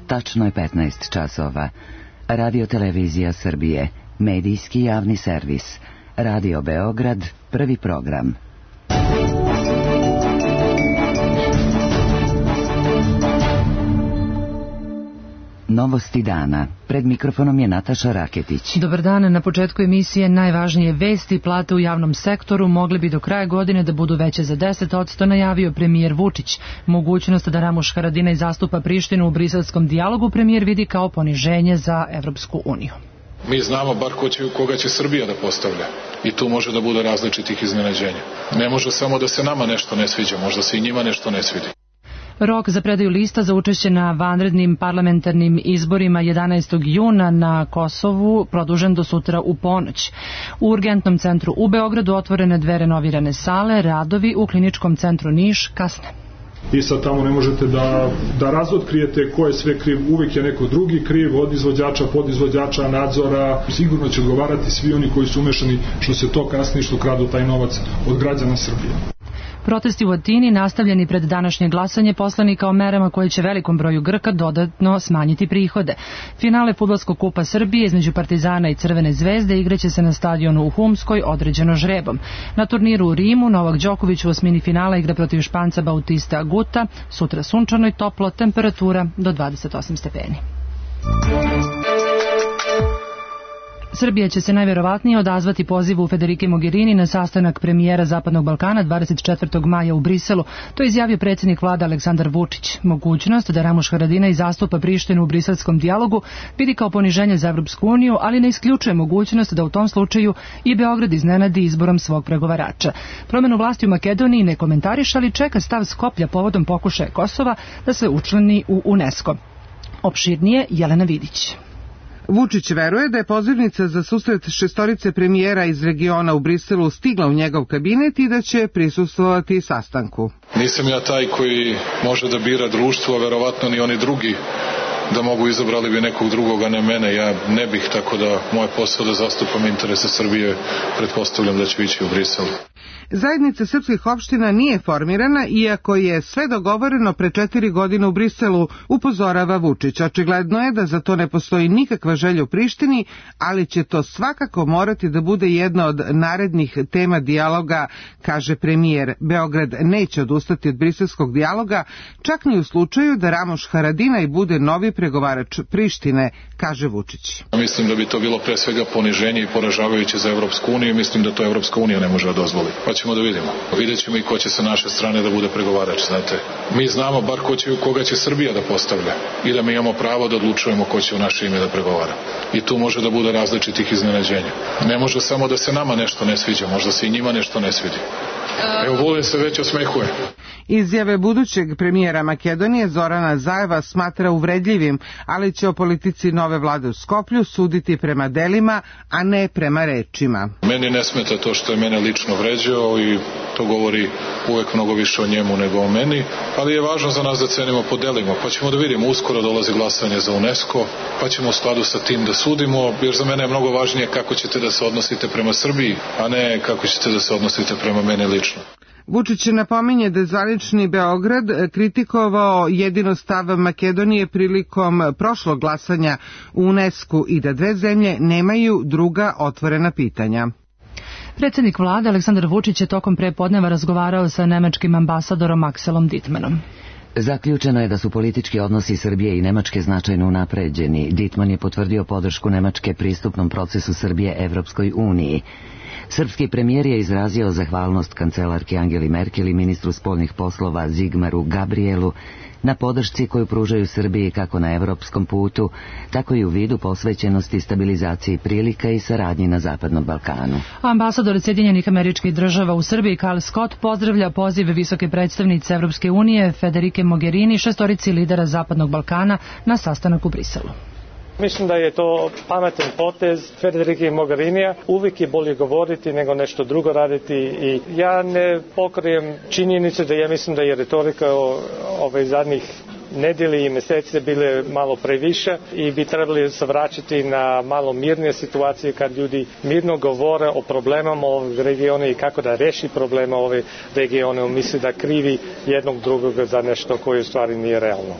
Tačno je 15 časova. Radio Televizija Srbije, medijski javni servis. Radio Beograd, prvi program. Novosti dana. Pred mikrofonom je Nataša Raketić. Dobar dan. Na početku emisije najvažnije vesti. Plate u javnom sektoru mogli bi do kraja godine da budu veće za 10%, najavio premijer Vučić. Mogućnost da Ramuš Haradinaj zastupa Prištinu u briselskom dijalogu premijer vidi kao poniženje za Evropsku uniju. Mi znamo bar koga će Srbija da postavlja i tu može da bude različitih iznenađenja. Ne može samo da se nama nešto ne sviđa, možda se i njima nešto ne svidi. Rok za predaju lista za učešće na vanrednim parlamentarnim izborima 11. juna na Kosovu produžen do sutra u ponoć. U urgentnom centru u Beogradu otvorene 2 renovirane sale, radovi u kliničkom centru Niš kasne. I sad tamo ne možete da razotkrijete ko je sve kriv, uvijek je neko drugi kriv, od izvođača, podizvođača, nadzora. Sigurno će odgovarati svi oni koji su umešani što se to kasni, što kradu taj novac od građana Srbije. Protesti u Atini nastavljeni pred današnje glasanje poslanika o merama koje će velikom broju Grka dodatno smanjiti prihode. Finale fudbalskog kupa Srbije između Partizana i Crvene zvezde igraće se na stadionu u Humskoj, određeno žrebom. Na turniru u Rimu Novak Đoković u osmini finala igra protiv Španca Bautista Aguta, sutra sunčano i toplo, temperatura do 28 stepeni. Srbija će se najverovatnije odazvati pozivu Federike Mogherini na sastanak premijera Zapadnog Balkana 24. maja u Briselu. To je izjavio predsjednik vlade Aleksandar Vučić. Mogućnost da Ramuš Haradinaj zastupa Prištinu u briselskom dijalogu vidi kao poniženje za Evropsku uniju, ali ne isključuje mogućnost da u tom slučaju i Beograd iznenadi izborom svog pregovarača. Promenu vlasti u Makedoniji ne komentariše, ali čeka stav Skoplja povodom pokušaja Kosova da se učlani u UNESCO. Opširnije Jelena Vidić. Vučić veruje da je pozivnica za susret šestorice premijera iz regiona u Briselu stigla u njegov kabinet i da će prisustvovati sastanku. Nisam ja taj koji može da bira društvo, a verovatno ni oni drugi da mogu izabrali bi nekog drugog, a ne mene. Ja ne bih, tako da moj posao da zastupam interese Srbije, pretpostavljam da ću ići u Brisel. Zajednica srpskih opština nije formirana, iako je sve dogovoreno pre 4 godine u Briselu, upozorava Vučić. Očigledno je da za to ne postoji nikakva želja u Prištini, ali će to svakako morati da bude jedna od narednih tema dijaloga, kaže premijer. Beograd neće odustati od briselskog dijaloga, čak ni u slučaju da Ramuš Haradinaj bude novi pregovarač Prištine, kaže Vučić. Mislim da bi to bilo pre svega poniženje i poražavajuće za Evropsku uniju. Mislim da to Evropska unija ne može da dozvoli. Pa ćemo da vidimo. Vidjet ćemo i ko će sa naše strane da bude pregovarač, znate. Mi znamo bar koga će Srbija da postavlja i da mi imamo pravo da odlučujemo ko će u naše ime da pregovara. I tu može da bude različitih iznenađenja. Ne može samo da se nama nešto ne sviđa, možda se i njima nešto ne svidi. Evo, Vulin se već osmehuje. Izjave budućeg premijera Makedonije Zorana Zajeva smatra uvredljivim, ali će o politici nove vlade u Skoplju suditi prema delima, a ne prema rečima. Meni ne smeta to što je mene lično vređao i to govori uvek mnogo više o njemu nego o meni, ali je važno za nas da cenimo po delima, pa ćemo da vidimo, uskoro dolazi glasanje za UNESCO, pa ćemo u skladu sa tim da sudimo, jer za mene je mnogo važnije kako ćete da se odnosite prema Srbiji, a ne kako ćete da se odnosite prema meni lično. Vučić napominje da je zvanični Beograd kritikovao jedino stav Makedonije prilikom prošlog glasanja u UNESCO i da 2 zemlje nemaju druga otvorena pitanja. Predsjednik vlade Aleksandar Vučić je tokom prepodneva razgovarao sa nemačkim ambasadorom Akselom Dittmanom. Zaključeno je da su politički odnosi Srbije i Nemačke značajno unapređeni. Dittman je potvrdio podršku Nemačke pristupnom procesu Srbije Evropskoj uniji. Srpski premijer je izrazio zahvalnost kancelarki Angeli Merkel i ministru spoljnih poslova Zigmaru Gabrielu na podršci koju pružaju Srbiji kako na evropskom putu, tako i u vidu posvećenosti stabilizaciji prilika i saradnji na Zapadnom Balkanu. Ambasador Sjedinjenih Američkih Država u Srbiji Karl Scott pozdravlja poziv visoke predstavnice Evropske unije Federike Mogherini šestorici lidera Zapadnog Balkana na sastanak u Briselu. Mislim da je to pametan potez Federike Mogherinija. Uvijek je bolje govoriti nego nešto drugo raditi i ja ne pokrijem činjenicu da ja mislim da je retorika ove zadnjih nedjelji i mjeseci bile malo previše i bi trebali se vraćati na malo mirnije situacije kad ljudi mirno govore o problemama ovog regiona i kako da reši problema ove regione. Misli da krivi jednog drugoga za nešto koje u stvari nije realno.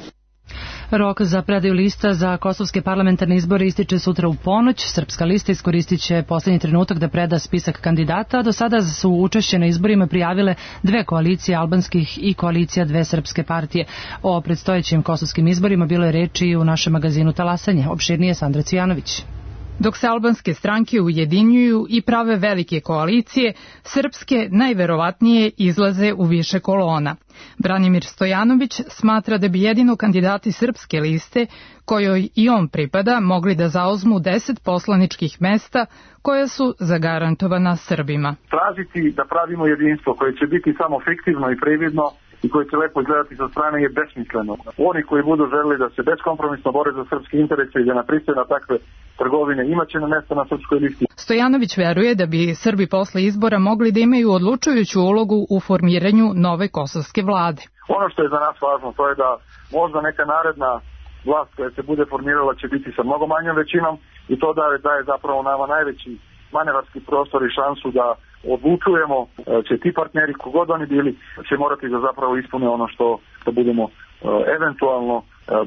Rok za predaju lista za kosovske parlamentarne izbore ističe sutra u ponoć. Srpska lista iskoristit će poslednji trenutak da preda spisak kandidata. Do sada su učešće na izborima prijavile dve koalicije albanskih i koalicija dve srpske partije. O predstojećim kosovskim izborima bilo je reči u našem magazinu Talasanje. Opširnije Sandra Cvijanović. Dok se albanske stranke ujedinjuju i prave velike koalicije, srpske najverovatnije izlaze u više kolona. Branimir Stojanović smatra da bi jedino kandidati srpske liste, kojoj i on pripada, mogli da zauzmu 10 poslaničkih mesta koja su zagarantovana Srbima. Tražiti da pravimo jedinstvo koje će biti samo fiktivno i prividno i koji će lepo izgledati sa strane je besmisleno. Oni koji budu želeli da se beskompromisno bore za srpske interese i da ne pristaju na takve trgovine imaće na mesta na srpskoj listi. Stojanović veruje da bi Srbi posle izbora mogli da imaju odlučujuću ulogu u formiranju nove kosovske vlade. Ono što je za nas važno to je da možda neka naredna vlast koja se bude formirala će biti sa mnogo manjom većinom i to daje zapravo nama najveći manevarski prostor i šansu da odlučujemo, će ti partneri, kogod oni bili, će morati da zapravo ispune ono što budemo eventualno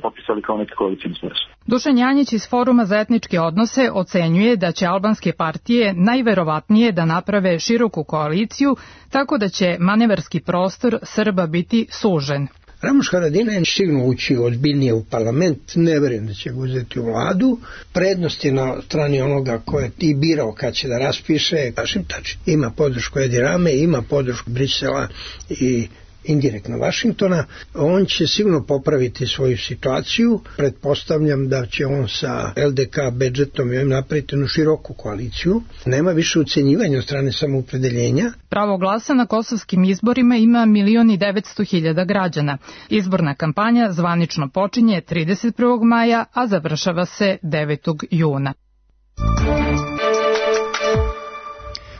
popisali kao neki koalicijni smisao. Dušan Janjić iz Foruma za etničke odnose ocenjuje da će albanske partije najverovatnije da naprave široku koaliciju, tako da će manevarski prostor Srba biti sužen. Ramuš Haradinaj je sigurno ući ozbiljnije u parlament, ne verujem da će ga uzeti u vladu. Prednost je na strani onoga ko je i birao kad će da raspiše, Hašim Tači. Ima podršku Edi Rame, ima podršku Brisela i indirektno Vašingtona. On će sigurno popraviti svoju situaciju. Pretpostavljam da će on sa LDK budžetom i ovim napraviti jednu široku koaliciju. Nema više ucenjivanja od strane samoupredeljenja. Pravo glasa na kosovskim izborima ima 1.900.000 građana. Izborna kampanja zvanično počinje 31. maja, a završava se 9. juna.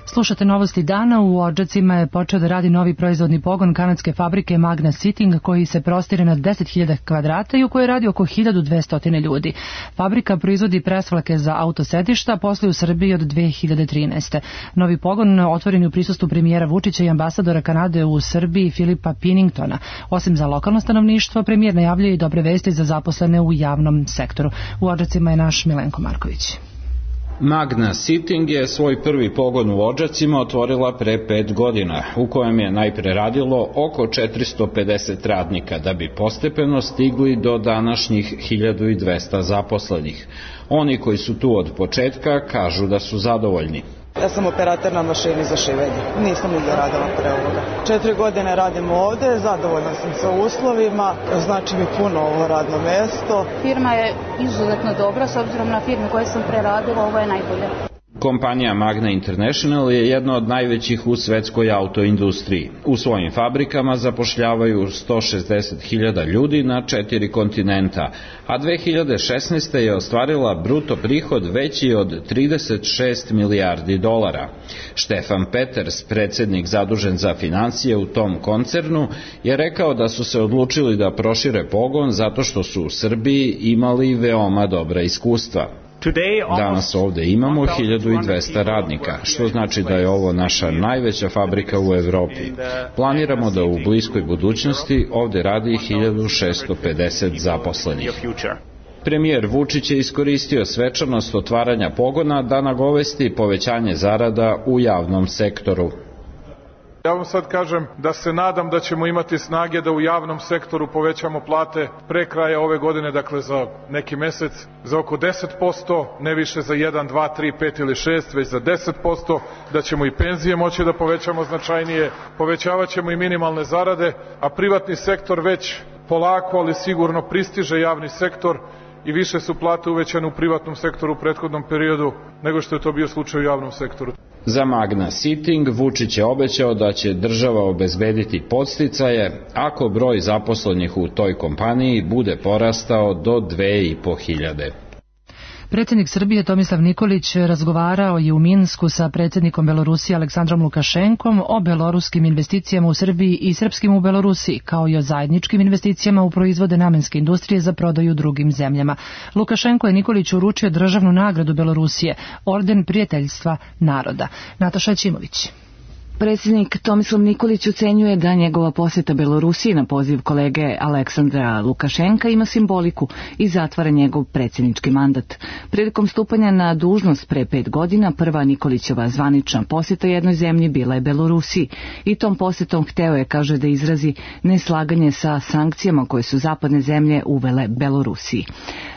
Slušate novosti dana. U Odžacima je počeo da radi novi proizvodni pogon kanadske fabrike Magna Seating koji se prostire na 10.000 kvadrata i u kojoj radi oko 1.200 ljudi. Fabrika proizvodi presvlake za autosedišta, posluje u Srbiji od 2013. Novi pogon otvoren je u prisustvu premijera Vučića i ambasadora Kanade u Srbiji Filipa Pinningtona. Osim za lokalno stanovništvo, premijer najavljuje i dobre vesti za zaposlene u javnom sektoru. U Odžacima je naš Milenko Marković. Magna Seating je svoj prvi pogon u Odžacima otvorila pre 5 godina, u kojem je najpre radilo oko 450 radnika, da bi postepeno stigli do današnjih 1200 zaposlenih. Oni koji su tu od početka kažu da su zadovoljni. Ja sam operator na mašini za šivenje. Nisam nigde radila pre ovoga. 4 godine radim ovde, zadovoljna sam sa uslovima, znači mi puno ovo radno mesto. Firma je izuzetno dobra, s obzirom na firme koje sam preradila, ovo je najbolje. Kompanija Magna International je jedna od najvećih u svetskoj autoindustriji. U svojim fabrikama zapošljavaju 160.000 ljudi na 4 kontinenta, a 2016. je ostvarila bruto prihod veći od 36 milijardi dolara. Štefan Peters, predsednik zadužen za financije u tom koncernu, je rekao da su se odlučili da prošire pogon zato što su u Srbiji imali veoma dobra iskustva. Danas ovde imamo 1200 radnika, što znači da je ovo naša najveća fabrika u Evropi. Planiramo da u bliskoj budućnosti ovde radi 1650 zaposlenih. Premijer Vučić je iskoristio svečanost otvaranja pogona da nagovesti povećanje zarada u javnom sektoru. Ja vam sad kažem da se nadam da ćemo imati snage da u javnom sektoru povećamo plate pre kraja ove godine, dakle za neki mesec, za oko 10%, ne više za 1, 2, 3, 5 ili 6, već za 10%, da ćemo i penzije moći da povećamo značajnije, povećavat ćemo i minimalne zarade, a privatni sektor već polako, ali sigurno pristiže javni sektor i više su plate uvećane u privatnom sektoru u prethodnom periodu nego što je to bio slučaj u javnom sektoru. Za Magna Seating Vučić je obećao da će država obezbediti podsticaje ako broj zaposlenih u toj kompaniji bude porastao do 2.500. Predsjednik Srbije Tomislav Nikolić razgovarao je u Minsku sa predsjednikom Belorusije Aleksandrom Lukašenkom o beloruskim investicijama u Srbiji i srpskim u Belorusiji, kao i o zajedničkim investicijama u proizvode namenske industrije za prodaju drugim zemljama. Lukašenko je Nikoliću uručio državnu nagradu Belorusije, orden prijateljstva naroda. Nataša Ćimović. Predsjednik Tomislav Nikolić ocenjuje da njegova posjeta Belorusiji na poziv kolege Aleksandra Lukašenka ima simboliku i zatvara njegov predsjednički mandat. Prilikom stupanja na dužnost pre 5 godina prva Nikolićeva zvanična posjeta jednoj zemlji bila je Belorusiji i tom posjetom hteo je, kaže, da izrazi neslaganje sa sankcijama koje su zapadne zemlje uvele Belorusiji.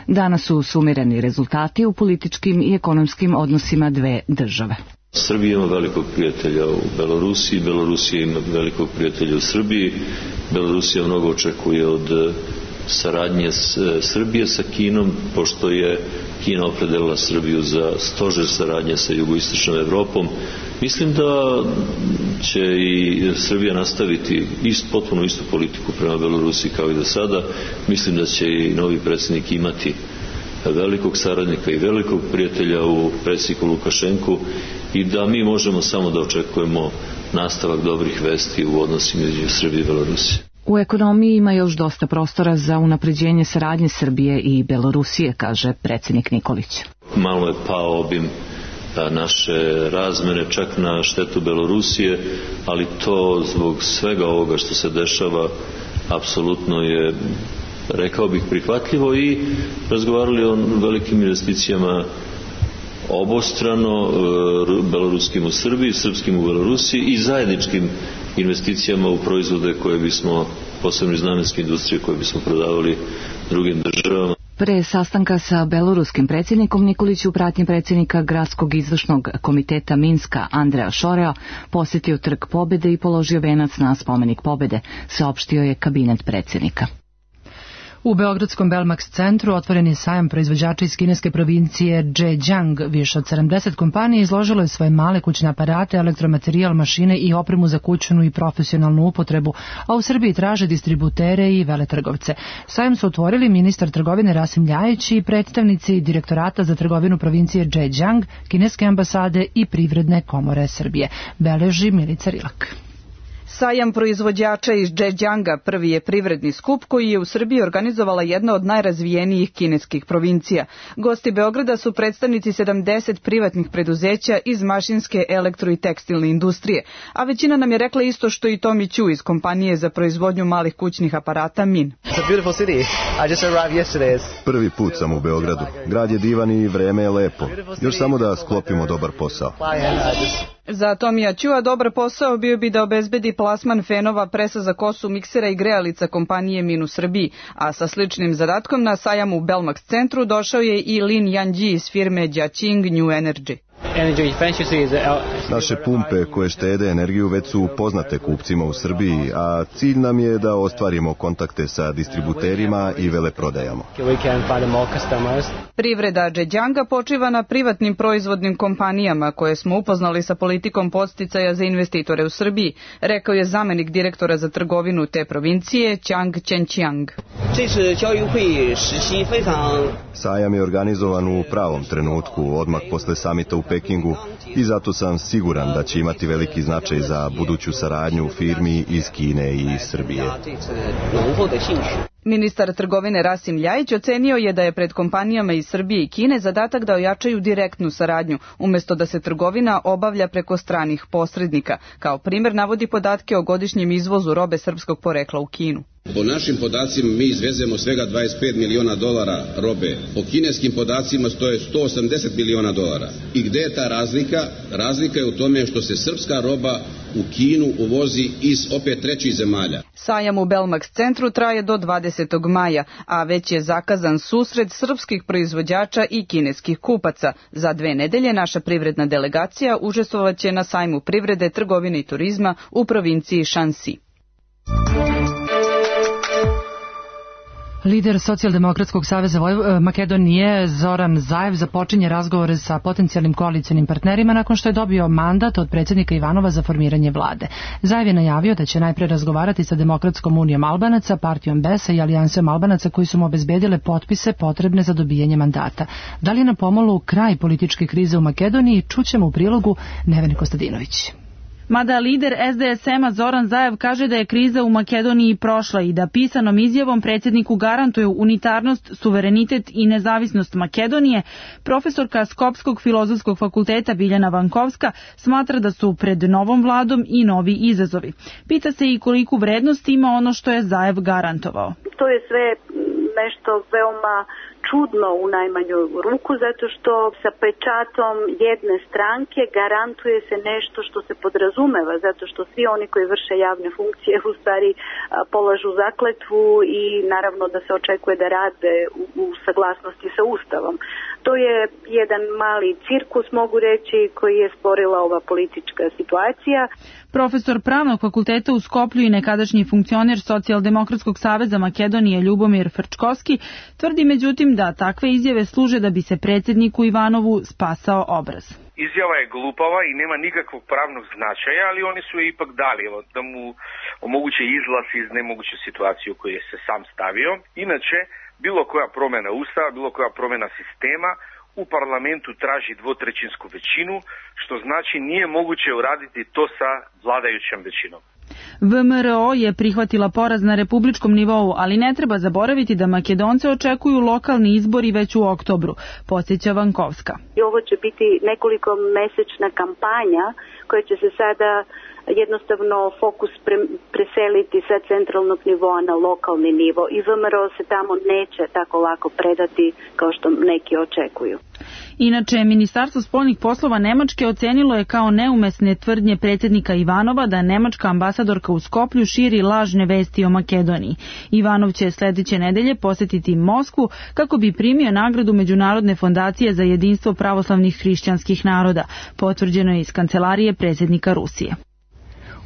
Danas su sumirani rezultati u političkim i ekonomskim odnosima dve države. Srbija ima velikog prijatelja u Belorusiji, Belorusija ima velikog prijatelja u Srbiji, Belorusija mnogo očekuje od saradnje Srbije sa Kinom, pošto je Kina opredelila Srbiju za stožer saradnje sa jugoistočnom Evropom. Mislim da će i Srbija nastaviti potpuno istu politiku prema Belorusiji kao i do sada. Mislim da će i novi predsjednik imati velikog saradnika i velikog prijatelja u predsjedniku Lukašenku i da mi možemo samo da očekujemo nastavak dobrih vesti u odnosima između Srbije i Belorusije. U ekonomiji ima još dosta prostora za unapređenje saradnje Srbije i Belorusije, kaže predsjednik Nikolić. Malo je pao obim naše razmene, čak na štetu Belorusije, ali to zbog svega ovoga što se dešava apsolutno je, rekao bih, prihvatljivo i razgovarali o velikim investicijama obostrano, beloruskim u Srbiji, srpskim u Belorusiji i zajedničkim investicijama u proizvode koje bismo, posebno iz namenske industrije, koje bismo prodavali drugim državama. Pre sastanka sa beloruskim predsjednikom Nikolić u pratnji predsjednika Gradskog izvršnog komiteta Minska Andreja Šorea posjetio Trg Pobjede i položio venac na spomenik Pobjede, saopštio je kabinet predsjednika. U Beogradskom Belmax centru otvoren je sajam proizvođača iz kineske provincije Zhejiang. Više od 70 kompanija izložilo je svoje male kućne aparate, elektromaterijal, mašine i opremu za kućnu i profesionalnu upotrebu, a u Srbiji traže distributere i veletrgovce. Sajam su otvorili ministar trgovine Rasim Ljajić i predstavnici Direktorata za trgovinu provincije Zhejiang, kineske ambasade i Privredne komore Srbije. Beleži Milica Rilak. Sajam proizvođača iz Zhejianga prvi je privredni skup koji je u Srbiji organizovala jedna od najrazvijenijih kineskih provincija. Gosti Beograda su predstavnici 70 privatnih preduzeća iz mašinske, elektro i tekstilne industrije, a većina nam je rekla isto što i Tomi Ću iz kompanije za proizvodnju malih kućnih aparata MIN. Prvi put sam u Beogradu. Grad je divan i vreme je lepo. Još samo da sklopimo dobar posao. Za Tomija Ćua dobar posao bio bi da obezbedi plasman fenova, presa za kosu, miksera i grejalica kompanije MIN u Srbiji, a sa sličnim zadatkom na sajam u Belmax centru došao je i Lin Yanji iz firme Jiaqing New Energy. Naše pumpe koje štede energiju već su poznate kupcima u Srbiji, a cilj nam je da ostvarimo kontakte sa distributerima i veleprodajama. Privreda Zhejianga počiva na privatnim proizvodnim kompanijama koje smo upoznali sa politikom podsticaja za investitore u Srbiji, rekao je zamenik direktora za trgovinu te provincije Chang Chenqiang. Sajam je organizovan u pravom trenutku, odmah posle samita u Pekingu, i zato sam siguran da će imati veliki značaj za buduću saradnju firmi iz Kine i Srbije. Ministar trgovine Rasim Ljajić ocenio je da je pred kompanijama iz Srbije i Kine zadatak da ojačaju direktnu saradnju, umjesto da se trgovina obavlja preko stranih posrednika. Kao primjer navodi podatke o godišnjem izvozu robe srpskog porekla u Kinu. Po našim podacima mi izvezemo svega $25 miliona robe. Po kineskim podacima to je $180 miliona. I gde je ta razlika? Razlika je u tome što se srpska roba u Kinu uvozi iz opet trećih zemalja. Sajam u Belmax centru traje do 20. maja, a već je zakazan susret srpskih proizvođača i kineskih kupaca. Za 2 nedelje naša privredna delegacija učestvovaće na sajmu privrede, trgovine i turizma u provinciji Shanxi. Lider Socijaldemokratskog saveza Makedonije Zoran Zaev započinje razgovore sa potencijalnim koalicionim partnerima nakon što je dobio mandat od predsjednika Ivanova za formiranje vlade. Zaev je najavio da će najpre razgovarati sa Demokratskom unijom Albanaca, partijom BES-a i alijansom Albanaca koji su mu obezbedile potpise potrebne za dobijanje mandata. Da li je na pomolu kraj političke krize u Makedoniji, čućemo u prilogu Nevene Kostadinović. Mada lider SDSM-a Zoran Zaev kaže da je kriza u Makedoniji prošla i da pisanom izjavom predsjedniku garantuju unitarnost, suverenitet i nezavisnost Makedonije, profesorka Skopskog filozofskog fakulteta Biljana Vankovska smatra da su pred novom vladom i novi izazovi. Pita se i koliku vrednost ima ono što je Zaev garantovao. To je sve nešto veoma čudno u najmanju ruku, zato što sa pečatom jedne stranke garantuje se nešto što se podrazumeva, zato što svi oni koji vrše javne funkcije u stvari polažu zakletvu i naravno da se očekuje da rade u saglasnosti sa Ustavom. To je jedan mali cirkus, mogu reći, koji je stvorila ova politička situacija. Profesor Pravnog fakulteta u Skoplju i nekadašnji funkcioner Socijaldemokratskog saveza Makedonije Ljubomir Frčkovski tvrdi međutim da takve izjave služe da bi se predsjedniku Ivanovu spasao obraz. Izjava je glupava i nema nikakvog pravnog značaja, ali oni su je ipak dali da mu omoguće izlaz iz nemoguće situacije u kojoj je se sam stavio. Inače, bilo koja promjena Ustava, bilo koja promjena sistema u parlamentu traži dvotrećinsku većinu, što znači nije moguće uraditi to sa vladajućom većinom. VMRO je prihvatila poraz na republičkom nivou, ali ne treba zaboraviti da Makedonce očekuju lokalni izbori već u oktobru, podsjeća Vankovska. I ovo će biti nekoliko mesečna kampanja koja će se sada jednostavno fokus preseliti sa centralnog nivoa na lokalni nivo i VMRO se tamo neće tako lako predati kao što neki očekuju. Inače, Ministarstvo spoljnih poslova Nemačke ocenilo je kao neumesne tvrdnje predsjednika Ivanova da nemačka ambasadorka u Skoplju širi lažne vesti o Makedoniji. Ivanov će sljedeće nedelje posjetiti Moskvu kako bi primio nagradu Međunarodne fondacije za jedinstvo pravoslavnih hrišćanskih naroda, potvrđeno je iz kancelarije predsjednika Rusije.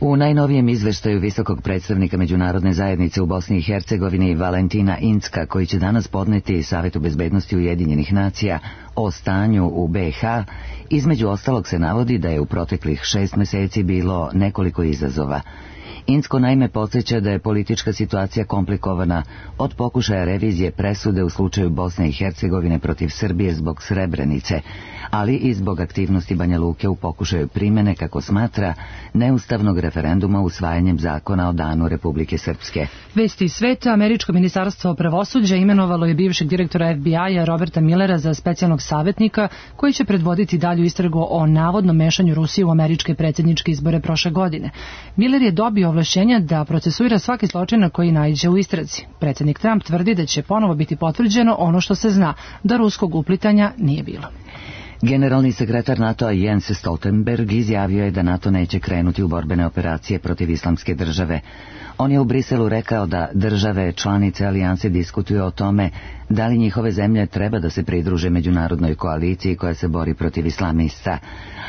U najnovijem izveštaju visokog predstavnika Međunarodne zajednice u Bosni i Hercegovini Valentina Incka, koji će danas podneti Savetu bezbednosti Ujedinjenih nacija o stanju u BiH, između ostalog se navodi da je u proteklih 6 meseci bilo nekoliko izazova. Incko naime podsjeća da je politička situacija komplikovana od pokušaja revizije presude u slučaju Bosne i Hercegovine protiv Srbije zbog Srebrenice, ali i zbog aktivnosti Banja Luke u pokušaju primjene, kako smatra, neustavnog referenduma usvajanjem zakona o danu Republike Srpske. Vesti iz sveta. Američko ministarstvo pravosuđa imenovalo je bivšeg direktora FBI-a Roberta Millera za specijalnog savjetnika koji će predvoditi dalju istragu o navodnom mešanju Rusije u američke predsjedničke izbore prošle godine. Miller je dobio ovlašćenja da procesuira svaki zločin na koji naiđe u istrazi. Predsjednik Trump tvrdi da će ponovo biti potvrđeno ono što se zna, da ruskog uplitanja nije bilo. Generalni sekretar NATO-a Jens Stoltenberg izjavio je da NATO neće krenuti u borbene operacije protiv Islamske države. On je u Briselu rekao da države članice alijanse diskutuju o tome da li njihove zemlje treba da se pridruže međunarodnoj koaliciji koja se bori protiv islamista.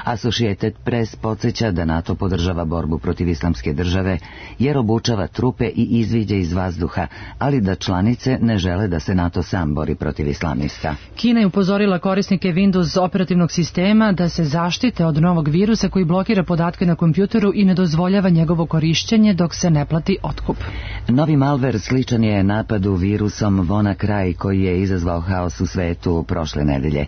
Associated Press podsjeća da NATO podržava borbu protiv Islamske države jer obučava trupe i izviđe iz vazduha, ali da članice ne žele da se NATO sam bori protiv islamista. Kina je upozorila korisnike Windows operativnog sistema da se zaštite od novog virusa koji blokira podatke na kompjuteru i ne dozvoljava njegovo korišćenje dok se ne plati otkup. Novi malver sličan je napadu virusom WannaCry koji je izazvao haos u svetu prošle nedelje.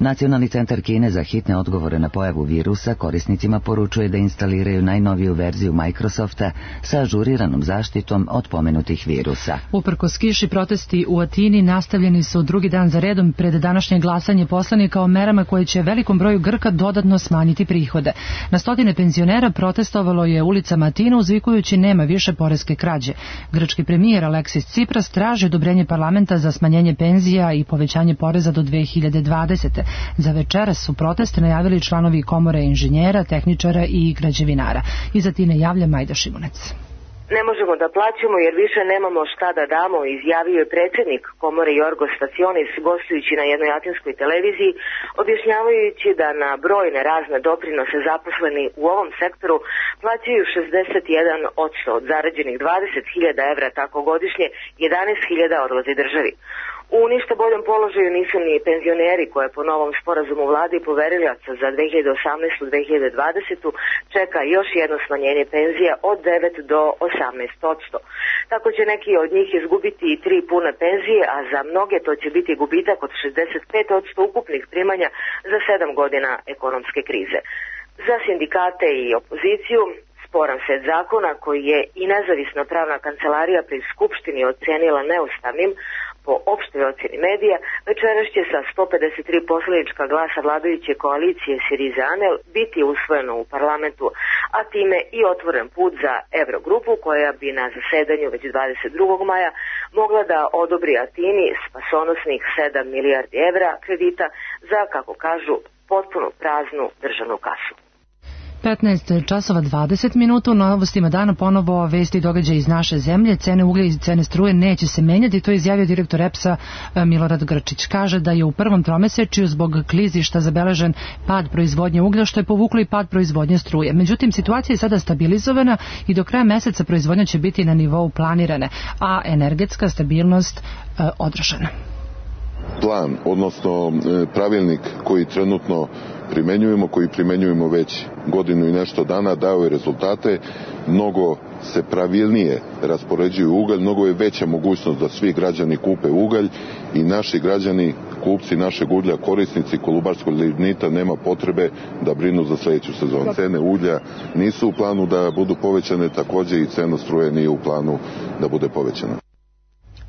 Nacionalni centar Kine za hitne odgovore na pojavu virusa korisnicima poručuje da instaliraju najnoviju verziju Microsofta sa ažuriranom zaštitom od pomenutih virusa. Uprkos kiši, protesti u Atini nastavljeni su drugi dan za redom pred današnje glasanje poslanika o merama koje će velikom broju Grka dodatno smanjiti prihode. Na stotine penzionera protestovalo je ulicama Atine uzvikujući nema više poreske krađe. Grčki premijer Aleksis Tsipras traži odobrenje parlamenta za smanjenje penzija i povećanje poreza do 2020. Za večeras su proteste najavili članovi komore inženjera, tehničara i građevinara. Iz Atine javlja Majda Šimunec. Ne možemo da plaćamo jer više nemamo šta da damo, izjavio je predsjednik komore Jorgos Stacionis gostujući na jednoj atinskoj televiziji, objašnjavajući da na brojne razne doprinose zaposleni u ovom sektoru plaćaju 61% od zarađenih 20.000 evra tako godišnje, 11.000 odlazi državi. U ništa boljem položaju nisu ni penzioneri koje po novom sporazumu vladi i poverilaca za 2018-2020 čeka još jedno smanjenje penzija od 9 do 18%. Tako će neki od njih izgubiti i 3 pune penzije, a za mnoge to će biti gubitak od 65% ukupnih primanja za 7 godina ekonomske krize. Za sindikate i opoziciju sporan set zakona koji je i nezavisna pravna kancelarija pri Skupštini ocenila neustavnim po opštoj oceni medija, večeras će sa 153 poslanička glasa vladajuće koalicije Syriza-ANEL biti usvojeno u parlamentu, a time i otvoren put za Evrogrupu koja bi na zasedanju već 22. maja mogla da odobri Atini spasonosnih 7 milijardi evra kredita za, kako kažu, potpuno praznu državnu kasu. 15 časova 20 minuta, u novostima dana ponovo vesti i događaje iz naše zemlje. Cene uglja i cene struje neće se menjati, to je izjavio direktor EPS-a Milorad Grčić. Kaže da je u prvom tromesečju zbog klizišta zabeležen pad proizvodnje uglja, što je povuklo i pad proizvodnje struje. Međutim, situacija je sada stabilizovana i do kraja meseca proizvodnja će biti na nivou planirane, a energetska stabilnost održana. Plan, odnosno pravilnik koji trenutno primenjujemo već godinu i nešto dana, dao je rezultate, mnogo se pravilnije raspoređuju ugalj, mnogo je veća mogućnost da svi građani kupe ugalj i naši građani, kupci našeg uglja, korisnici kolubarskog lignita, nema potrebe da brinu za sledeću sezonu. Cene uglja nisu u planu da budu povećane, takođe i cena struje nije u planu da bude povećana.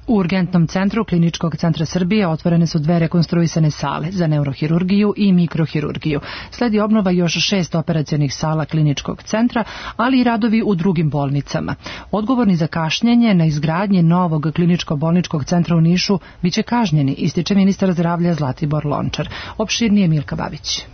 U urgentnom centru Kliničkog centra Srbije otvorene su 2 rekonstruisane sale za neurohirurgiju i mikrohirurgiju. Sledi obnova još 6 operacionih sala Kliničkog centra, ali i radovi u drugim bolnicama. Odgovorni za kašnjenje na izgradnje novog kliničko-bolničkog centra u Nišu biće kažnjeni, ističe ministar zdravlja Zlatibor Lončar. Opširnije Milka Babić.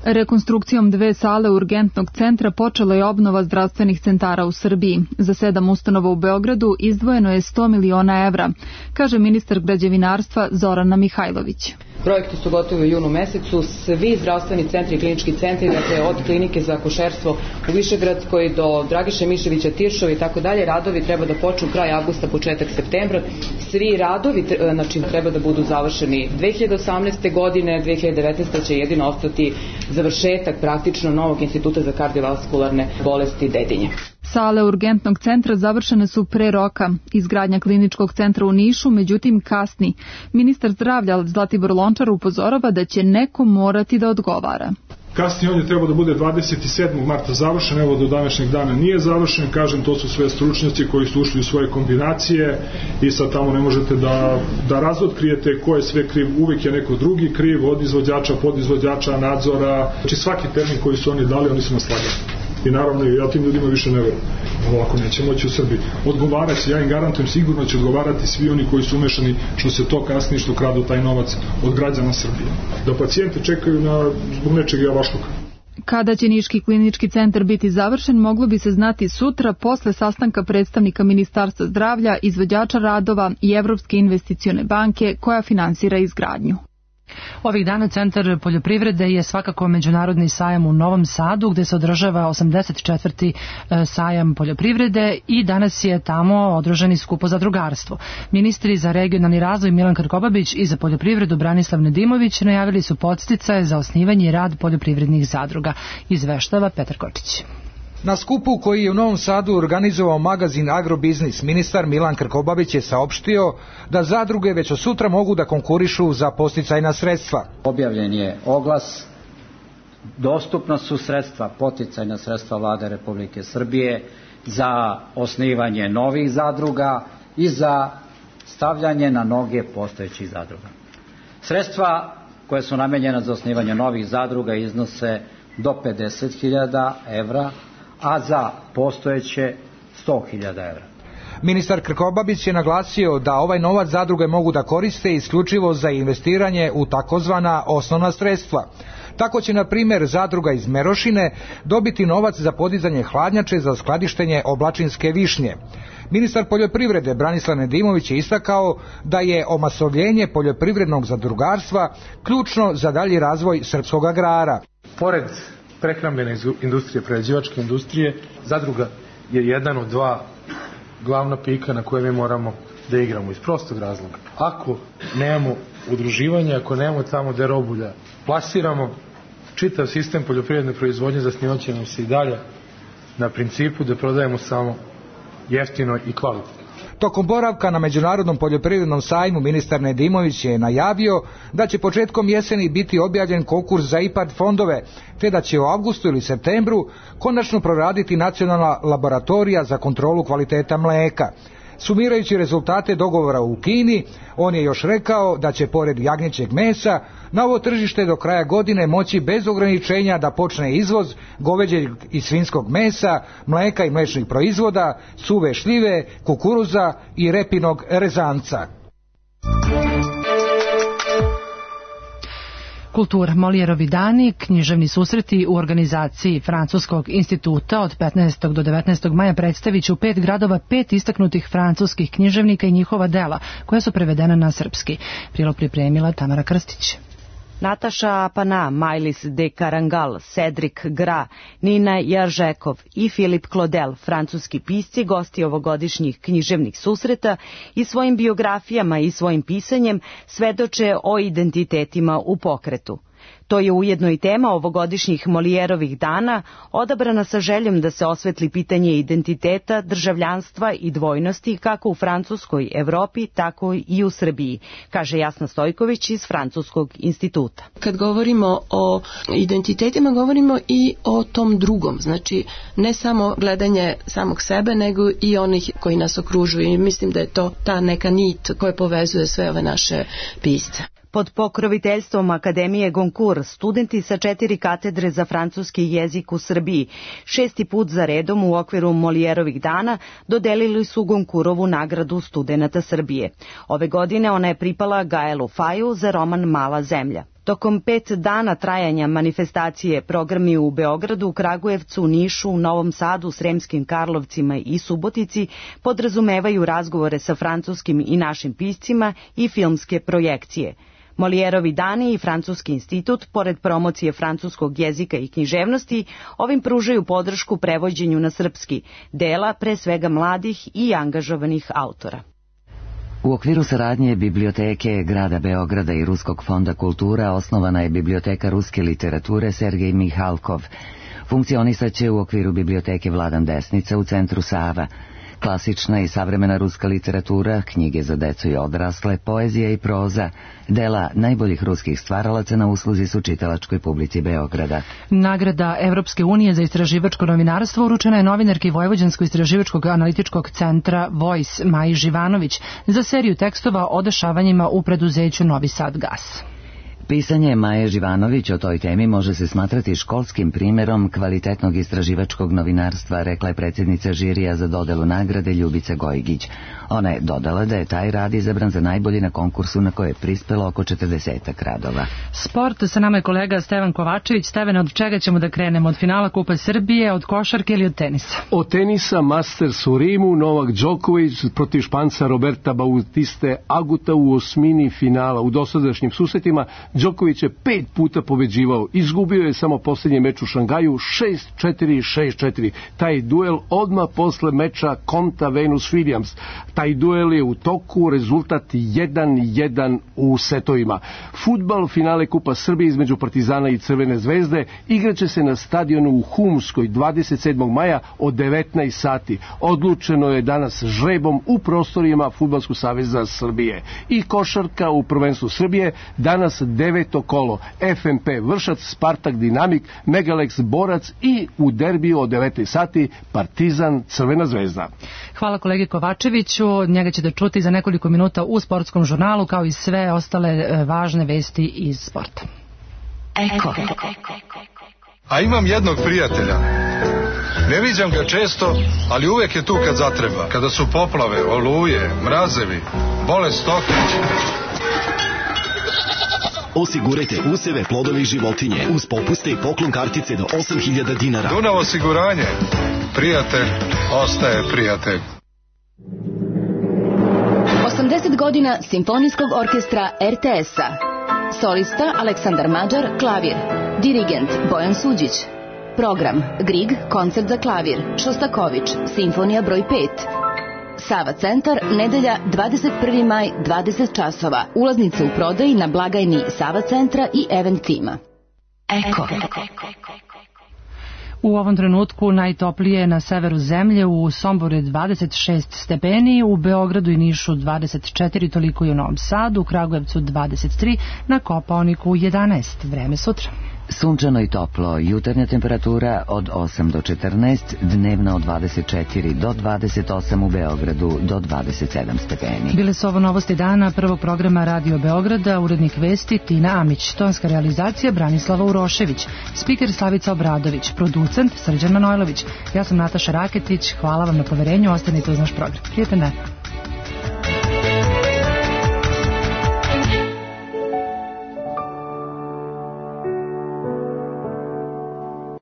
Rekonstrukcijom 2 sale urgentnog centra počela je obnova zdravstvenih centara u Srbiji. Za 7 ustanova u Beogradu izdvojeno je 100 miliona evra, kaže ministar građevinarstva Zorana Mihajlović. Projekti su gotovi u junu mesecu, svi zdravstveni centri i klinički centri, dakle od klinike za akušerstvo u Višegradskoj do Dragiše Miševića, Tiršovi i tako dalje, radovi treba da počnu kraj avgusta, početak septembra. Svi radovi treba da budu završeni 2018. godine, 2019. će jedino ostati završetak praktično novog instituta za kardiovaskularne bolesti Dedinje. Sale urgentnog centra završene su pre roka. Izgradnja kliničkog centra u Nišu, međutim, kasni. Ministar zdravlja Zlatibor Lončar upozorava da će neko morati da odgovara. Kasnije on je trebao da bude 27. marta završen, evo do današnjeg dana nije završen, kažem, to su sve stručnjaci koji su ušli u svoje kombinacije i sad tamo ne možete da razotkrijete ko je sve kriv, uvek je neko drugi kriv, od izvođača, podizvođača, nadzora, znači svaki termin koji su oni dali, oni su nas slagali. I naravno, ja tim ljudima više ne verujem. Ovako neće moći u Srbiji. Odgovaraći, ja im garantujem, sigurno će odgovarati svi oni koji su umešani što se to kasnije, što kradu taj novac od građana Srbije. Da pacijenti čekaju zbog nečeg javašluka. Kada će Niški klinički centar biti završen, moglo bi se znati sutra posle sastanka predstavnika Ministarstva zdravlja, izvođača radova i Evropske investicione banke koja finansira izgradnju. Ovih dana Centar poljoprivrede je svakako međunarodni sajam u Novom Sadu gde se održava 84. sajam poljoprivrede i danas je tamo održan i skup o zadrugarstvu. Ministri za regionalni razvoj Milan Krkobabić i za poljoprivredu Branislav Nedimović najavili su podsticaje za osnivanje i rad poljoprivrednih zadruga, izveštava Petar Kočić. Na skupu koji je u Novom Sadu organizovao magazin Agrobiznis, ministar Milan Krkobabić je saopštio da zadruge već od sutra mogu da konkurišu za podsticajna sredstva. Objavljen je oglas, dostupna su sredstva, podsticajna sredstva Vlade Republike Srbije za osnivanje novih zadruga i za stavljanje na noge postojećih zadruga. Sredstva koje su namenjena za osnivanje novih zadruga iznose do 50.000 evra, a za postojeće 100.000 evra. Ministar Krkobabić je naglasio da ovaj novac zadruge mogu da koriste isključivo za investiranje u takozvana osnovna sredstva. Tako će, na primjer, zadruga iz Merošine dobiti novac za podizanje hladnjače za skladištenje oblačinske višnje. Ministar poljoprivrede Branislav Nedimović je istakao da je omasovljenje poljoprivrednog zadrugarstva ključno za dalji razvoj srpskog agrara. Pored prehrambene industrije, prerađivačke industrije, zadruga je jedan od 2 glavna pika na koje mi moramo da igramo iz prostog razloga. Ako nemamo udruživanja, ako nemamo tamo gde robu da plasiramo, čitav sistem poljoprivredne proizvodnje zasnivaće nam se i dalje na principu da prodajemo samo jeftino i kvalitetno. Tokom boravka na Međunarodnom poljoprivrednom sajmu ministar Nedimović je najavio da će početkom jeseni biti objavljen konkurs za IPARD fondove, te da će u avgustu ili septembru konačno proraditi nacionalna laboratorija za kontrolu kvaliteta mlijeka. Sumirajući rezultate dogovora u Kini, on je još rekao da će pored jagnjećeg mesa na ovo tržište do kraja godine moći bez ograničenja da počne izvoz goveđeg i svinjskog mesa, mlijeka i mliječnih proizvoda, suve šljive, kukuruza i repinog rezanca. Kultura, Molijerovi dani, književni susreti u organizaciji Francuskog instituta od 15. do 19. maja predstavit će u 5 gradova 5 istaknutih francuskih književnika i njihova dela, koja su prevedena na srpski. Prilog pripremila Tamara Krstić. Nataša Apana, Majlis de Carangal, Cedric Gra, Nina Jaržekov i Filip Claudel, francuski pisci, gosti ovogodišnjih književnih susreta i svojim biografijama i svojim pisanjem svedoče o identitetima u pokretu. To je ujedno i tema ovogodišnjih Molijerovih dana, odabrana sa željom da se osvetli pitanje identiteta, državljanstva i dvojnosti kako u Francuskoj Evropi, tako i u Srbiji, kaže Jasna Stojković iz Francuskog instituta. Kad govorimo o identitetima, govorimo i o tom drugom, znači ne samo gledanje samog sebe, nego i onih koji nas okružuju. I mislim da je to ta neka nit koja povezuje sve ove naše pisce. Pod pokroviteljstvom Akademije Goncourt, studenti sa 4 katedre za francuski jezik u Srbiji 6. put za redom u okviru Molijerovih dana dodelili su Goncourtovu nagradu studenata Srbije. Ove godine ona je pripala Gaelu Faju za roman Mala zemlja. Tokom 5 dana trajanja manifestacije programi u Beogradu, Kragujevcu, Nišu, Novom Sadu, Sremskim Karlovcima i Subotici podrazumevaju razgovore sa francuskim i našim piscima i filmske projekcije. Molijerovi dani i Francuski institut, pored promocije francuskog jezika i književnosti, ovim pružaju podršku prevođenju na srpski dela, pre svega mladih i angažovanih autora. U okviru saradnje Biblioteke grada Beograda i Ruskog fonda kultura osnovana je Biblioteka ruske literature Sergej Mihalkov. Funkcionisaće u okviru Biblioteke Vladan Desnica u centru Sava. Klasična i savremena ruska literatura, knjige za decu i odrasle, poezija i proza, dela najboljih ruskih stvaralaca na usluzi su čitalačkoj publici Beograda. Nagrada Evropske unije za istraživačko novinarstvo uručena je novinarki Vojvođansko-istraživačkog analitičkog centra Voice Maji Živanović za seriju tekstova o dešavanjima u preduzeću Novi Sad Gas. Pisanje Maje Živanović o toj temi može se smatrati školskim primjerom kvalitetnog istraživačkog novinarstva, rekla je predsjednica žirija za dodelu nagrade Ljubica Gojgić. Ona je dodala da je taj rad izabran za najbolji na konkursu na koje je prispelo oko 40 radova. Sport, sa nama je kolega Stevan Kovačević. Stevan, od čega ćemo da krenemo? Od finala Kupa Srbije, od košarke ili od tenisa? Od tenisa, Masters u Rimu, Novak Đoković protiv Španca Roberta Bautiste Aguta u osmini finala. U dosadašnjim susretima Đoković je 5 puta pobeđivao. Izgubio je samo posljednji meč u Šangaju 6-4 i 6-4. Taj duel odmah posle meča Konta Venus Williams. Taj duel je u toku, rezultat 1-1 u setovima. Fudbal, finale Kupa Srbije između Partizana i Crvene zvezde igraće se na stadionu u Humskoj 27. maja od 19 sati. Odlučeno je danas žrebom u prostorima Fudbalskog saveza Srbije. I košarka u prvenstvu Srbije danas 9. kolo. FNP Vršac, Spartak Dinamik, Megalex Borac i u derbiju od 19 sati Partizan Crvena zvezda. Hvala kolegi Kovačeviću. Njega ćete čuti za nekoliko minuta u sportskom žurnalu, kao i sve ostale važne vesti iz sporta. Eko. A imam jednog prijatelja. Ne viđam ga često, ali uvek je tu kad zatreba. Kada su poplave, oluje, mrazevi, bole stoke. Osigurajte useve, plodove i životinje uz popuste i poklon kartice do 8.000 dinara. Dunav osiguranje. Prijatelj ostaje prijatelj. 80 godina Simfonijskog orkestra RTS-a. Solista Aleksandar Mađar, klavir. Dirigent Bojan Suđić. Program Grieg, koncert za klavir. Šostaković, simfonija broj 5. Sava centar, nedelja 21. maj, 20 časova. Ulaznice u prodaji na blagajni Sava centra i Event tima. Eko. U ovom trenutku najtoplije na severu zemlje, u Somboru je 26 stepeni, u Beogradu i Nišu 24, toliko i u Novom Sadu, u Kragujevcu 23, na Kopaoniku 11. Vreme sutra. Sunčano i toplo, jutarnja temperatura od 8 do 14, dnevna od 24 do 28 u Beogradu do 27 stepeni. Bile su ovo novosti dana prvog programa Radio Beograda, urednik vesti Tina Amić, tonska realizacija Branislava Urošević, spiker Slavica Obradović, producent Srđan Manojlović. Ja sam Nataša Raketić, hvala vam na poverenju, ostanite uz naš program. Prijatan dan.